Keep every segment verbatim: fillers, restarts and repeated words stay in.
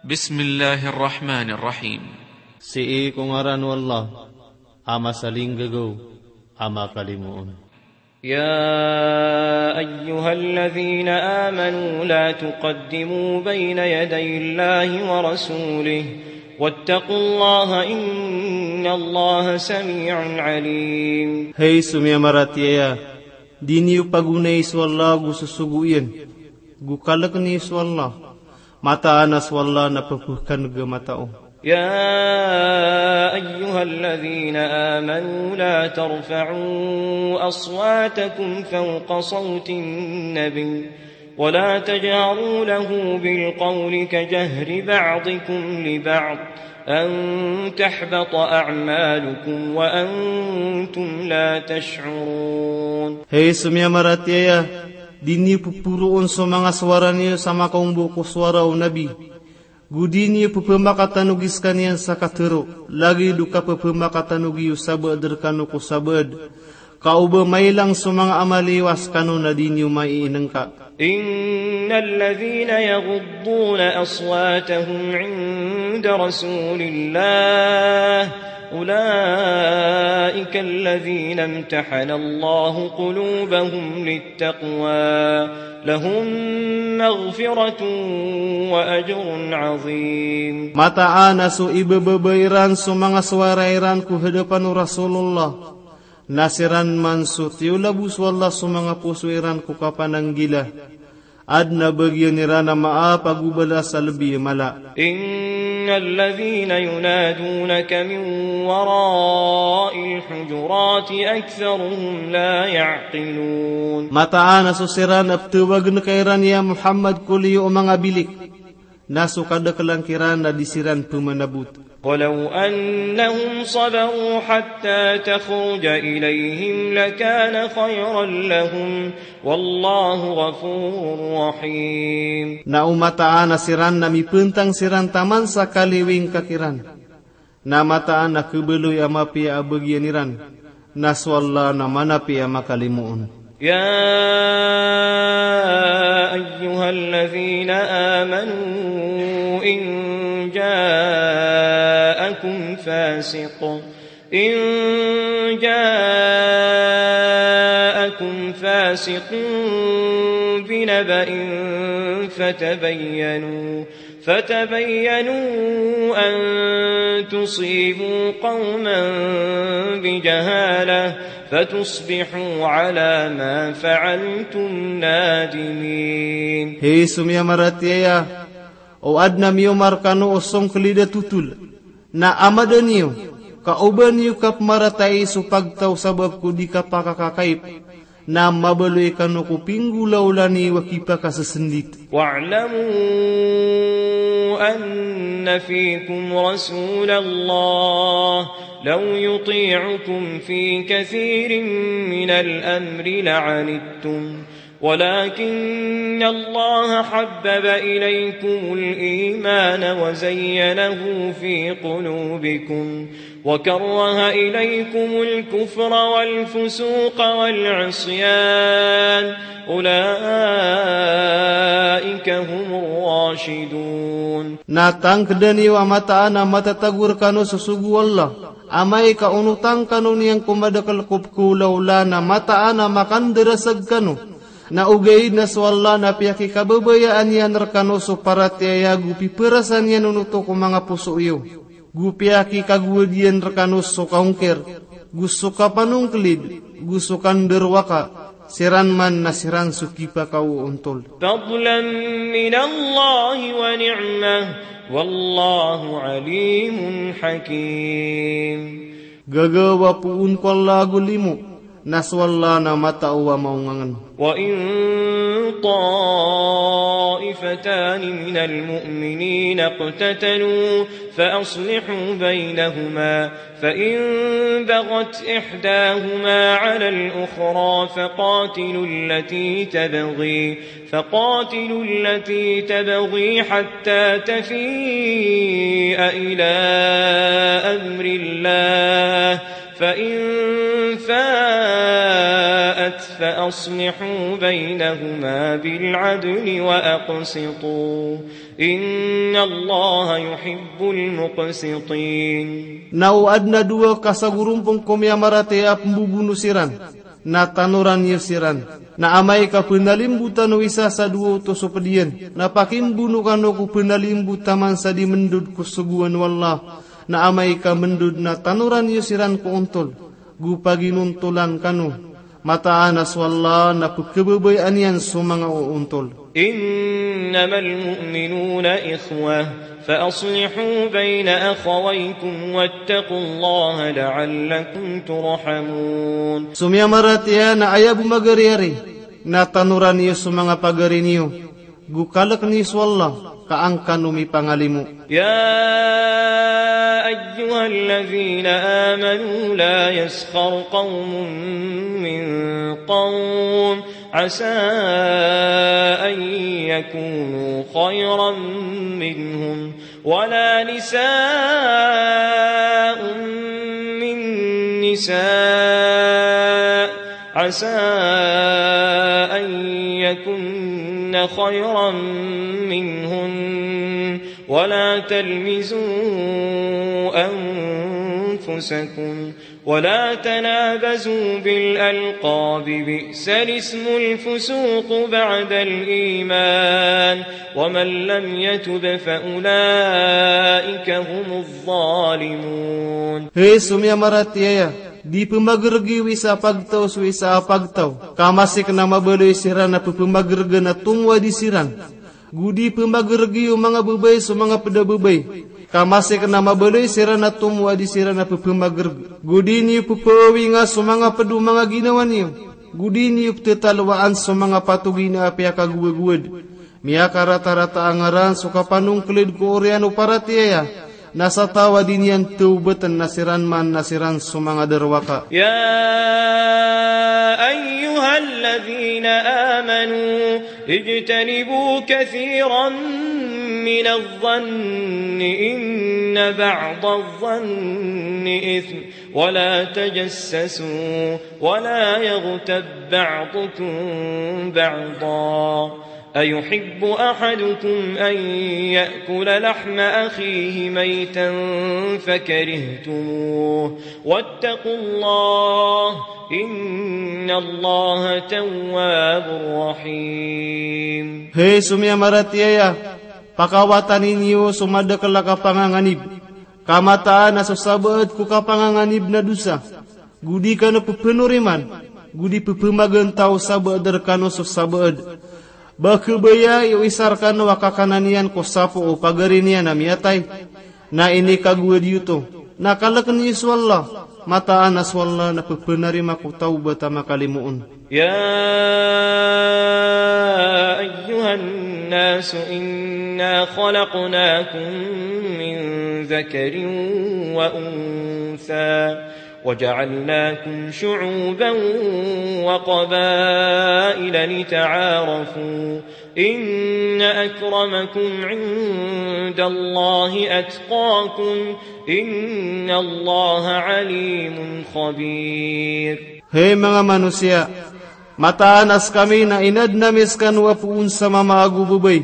Bismillahir Rahmanir Rahim. Sii ko ngaran o Allah, a masalinggagaw, a makalimoon. يا أيها الذين آمنوا لا تقدموا بين يدي الله ورسوله واتقوا الله إن الله سميع عليم. Hay so miyamaratiyaya, di niyo pagonai so Allah go sosogo iyan, go kalkn iyo so Allah. Mataan a so Allah na pphkanggamata o. يا أيها الذين آمنوا لا ترفعوا أصواتكم فوق صوت النبي ولا تجهروا له بالقول كجهر بعضكم لبعض أن تحبط أعمالكم وأنتم لا تشعرون. Hay so miyamaratiyaya, di niyo pporoon so manga sowara niyo sa makaombo ko sowara o Nabi. Go di niyo pphamakatanogi skaniyan sa katharo, lagid o kapphamakatanogi o sabaad rkano ko sabaad, ka o ba mailang so manga amal iyo a skano na di niyo maiinngka. إن الذين يغضون أصواتهم عند رسول الله أولئك الذين امتحن الله قلوبهم للتقوى لهم مغفرة وأجر عظيم. Mataan a so ibababa iran so manga sowara iran ko hadapan o Rasulullah, na siran man so tiyolabo so Allah so manga poso iran ko kapananggila. Adn a bagian iran a maap ago balas a lbi a mala. إن الذين ينادونك من وراء الحجرات أكثرهم لا يعقلون. Mataan a so siran a ptawagn ka iran ya Muhammad ko liyo o manga bilik, na so kadaklan kiran na di siran pmanabot. ولو أنهم صبروا حتى تخرج إليهم لكان خيرا لهم والله غفور رحيم. Na o mataan a siran na mipntang siran taman sa kaliwing ka kiran, na mataan a khabaloy a mapiya a bagian iran, na so Allah na manapiya a makalimoon. يا أيها الذين آمنوا إن جاءكم فاسق إن جاءكم فاسق بنبأ فتبينوا فتبينوا أن تصيبوا قوما بجهالة فتصبحوا على ما فعلتم نادمين. Hay so miyamaratiyaya, o adn a miyoma rkano o songklid a totol, na amada niyo ka o ba niyo kapmaratai so pagtaw sabap ko di kapakakakaip, na mabaloy kano ko pinggolawla niyo a kipakasasndit. واعلموا أن فيكم رسول الله لو يطيعكم في كثير من الأمر لعنتم ولكن الله حبب إليكم الإيمان وزينه في قلوبكم وكره إليكم الكفر والفسوق والعصيان أولئك هم الراشدون. Na tangkda niyo a mataan a matatago rkano so sogo o Allah, amay ka onotang kano niyan ko madakl ko pkhaolawla na mataan a makandarasag kano. Na ogaid na so Allah na piyakikababayaan iyan rkano so paratiyaya go pipharasan iyan on oto ko manga poso iyo. Go piyakikagowad iyan rkano so kaongkir, go so kapanongklid, go so kandarowaka, siran man na siran so kipakaoontol. فضلا من الله ونعمة والله عليم حكيم. Gagawa poon ko Allah ago limo, na so Allah na matao a maongangn. وإن طائفتان من المؤمنين اقتتلوا فأصلحوا بينهما فإن بغت إحداهما على الأخرى فقاتلوا التي تبغي فقاتلوا التي تبغي حتى تفيء إلى أمر الله فإن فاءت فأصلحوا بينهما بالعدل وأقسطوا إن الله يحب المقسطين. Na o adn a dowa ka sagorompong ko miyamaratiyaya a pmbobono siran, na tanoran iyo siran. Na amay ka pnalimbotan o isa sa dowa oto so pd iyan, na pakimbono kano ko pnalimbot taman sa di mndod ko sogoan o Allah. Na amay ka mndod na tanoran iyo siran ko ontol, go paginontolan kano. Mataan a so Allah na pkhababayaan iyan so manga oontol. إنما المؤمنون إخوة فأصلحوا بين أخويكم واتقوا الله لعلكم ترحمون. So miyamaratiyaya na aya bo magariyari, na tanoran iyo so manga pagari niyo, go kalk niyo so Allah, ka an kano mipangalimo. يا أيها الذين آمنوا لا يسخر قوم من قوم عسى أن يكونوا خيرا منهم ولا نساء من نساء عسى أن يكن خيرا منهن ولا تلمزوا أنفسكم ولا تنابزوا بالألقاب بئس الاسم الفسوق بعد الإيمان ومن لم يتب فأولئك هم الظالمون. Hay so miyamaratiyaya, di pmagrgi o isa a pagtaw so isa a pagtaw, ka masik na mabaloy siran a ppmagrgan a tomo a di siran. Go di pmagrgi o manga babay so manga pd a babay, ka masik na mabaloy siran a tomo a di siran a ppmagrg. Go di niyo ppawinga so manga pd o manga ginawa niyo. Go di niyo pttalowaan so manga patogi na apiya kagowagowad. Miyakaratarata a ngaran so kapanongklid ko oriyan o paratiyaya, na sa taw a di niyan tawbatn na siran man na siran so manga darowaka. يا أيها الذين آمنوا اجتنبوا كثيرا من الظن إن بعض الظن إثم ولا تجسسوا ولا يغتب بعضكم بعضا أيحب أحدكم أن يأكل لحم أخيه ميتا فكرهتموه واتقوا الله إن الله تواب رحيم. Hay so miyamaratiyaya, pakawatani niyo so madakl a kapanganganib, ka mataan a so sabaad ko kapanganganib na dosa. Go di kano pphanoriman, go di pphamagantaw o sabaad rkano so sabaad. Ba khabaya i o isa rkano a kakanan iyan ko sapo o pagari niyan a miyatay. Na inikagowad iyo oto. Na kalkn iyo so Allah. Mataan a so Allah na pphanarima ko tawbat a makalimoon. يا أيها الناس إنا خلقناكم من ذكر وأنثى وجعلناكم شعوبا وقبائل لتعارفوا إن أكرمكم عند الله أتقاكم إن الله عليم خبير. Hay manga manosiya, mataan a skami na inadn ami skano a poon sa mama ago babay,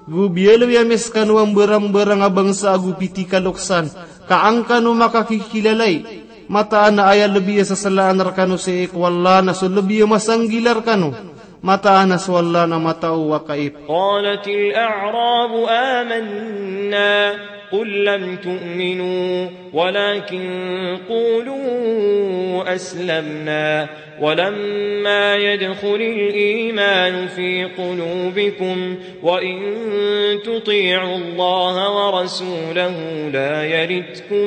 go biyaloy ami skano a mbarangbarang a bangsa ago pitikaloksan, ka an kano makakikilalai. Mataan a aya lbi a sasalaan rkano sii ko Allah na so lbi a masanggila rkano. Mataan a so Allah na matao a kaip. قالت الأعراب آمنا قل لم تؤمنوا ولكن قولوا أسلمنا ولما يدخل الإيمان في قلوبكم وإن تطيعوا الله ورسوله لا يلتكم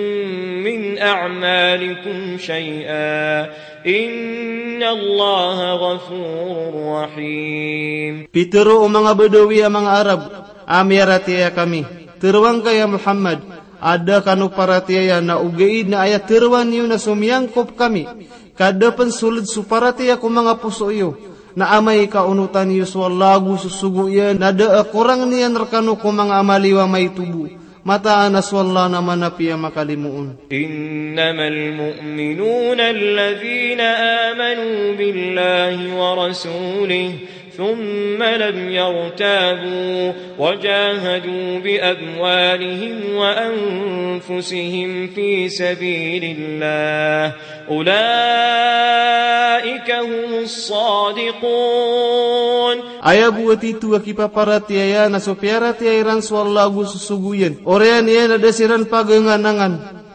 من أعمالكم شيئا إن الله غفور رحيم. Pitharo o manga Badawi a manga Arab a miyaratiyaya kami, tharoa ngka ya Muhammad, a da kano paratiyaya na ogaid na aya tharoa niyo na so miyangkop kami, ka da pn sold so paratiyaya ko manga poso iyo, na amay ka onotan iyo so Allah ago so sogo iyan na da a korang niyan rkano ko manga amal iyo a maito bo. Mataan a so Allah na manapiya makalimoon. إنما المؤمنون الذين آمنوا بالله ورسوله ثم لم يرتابوا وجاهدوا بأموالهم وأنفسهم في سبيل الله أولئك هم الصادقون. Aya bo a tito a kipaparatiyaya na so piyaratiyaya iran so Allah ago so sogo iyan. Oriyan iyan a da siran paganganangan.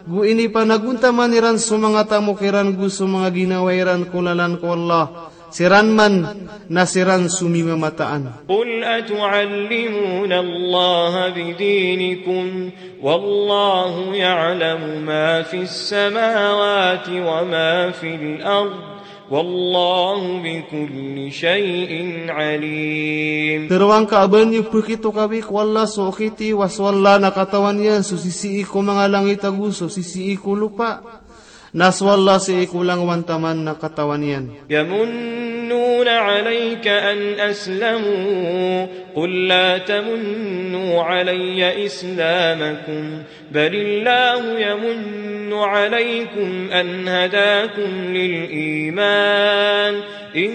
Go inipanagontaman iran so manga tamok iran go so manga ginawa iran ko lalan ko Allah. Siran man na siran so mimamataan. قل أتعلمون الله بدينكم والله يعلم ما في السماوات وما في الأرض والله بكل شيء عليم. Tero angka a ba niyo pekitokawi ko Allah so okit iyo a so Allah na katawan iyan so sisii ko manga langit ago so sisii ko lopa. Na so Allah sii ko langowan taman na katawan iyan. يمنون عليك أن أسلموا قل لا تمنوا علي إسلامكم بل الله يمن عليكم أن هداكم للإيمان إن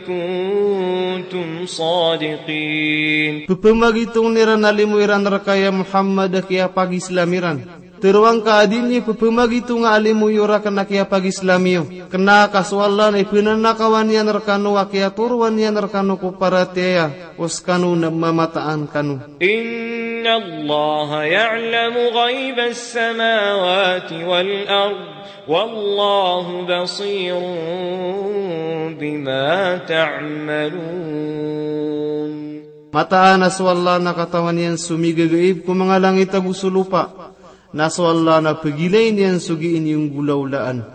كنتم صادقين. Pepemagitong iran a limo iran reka ya Muhammad a kiyapagislam iran. Tero angka a di niyo pepemagitong a limo iyo reka na kiyapagislam iyo. Kena ka so Allah na ipenanakawan iyan rekano a kiyatoroan iyan rekano ko paratiyaya, o sekano na mamataan kano. إن الله يعلم غيب السماوات والأرض والله بصير بما تعملون. Mataan a so Allah na katawan iyan so migagaib ko manga langit ago so lopa. Na so Allah na pegilay niyan so gii niyo nggolawlaan.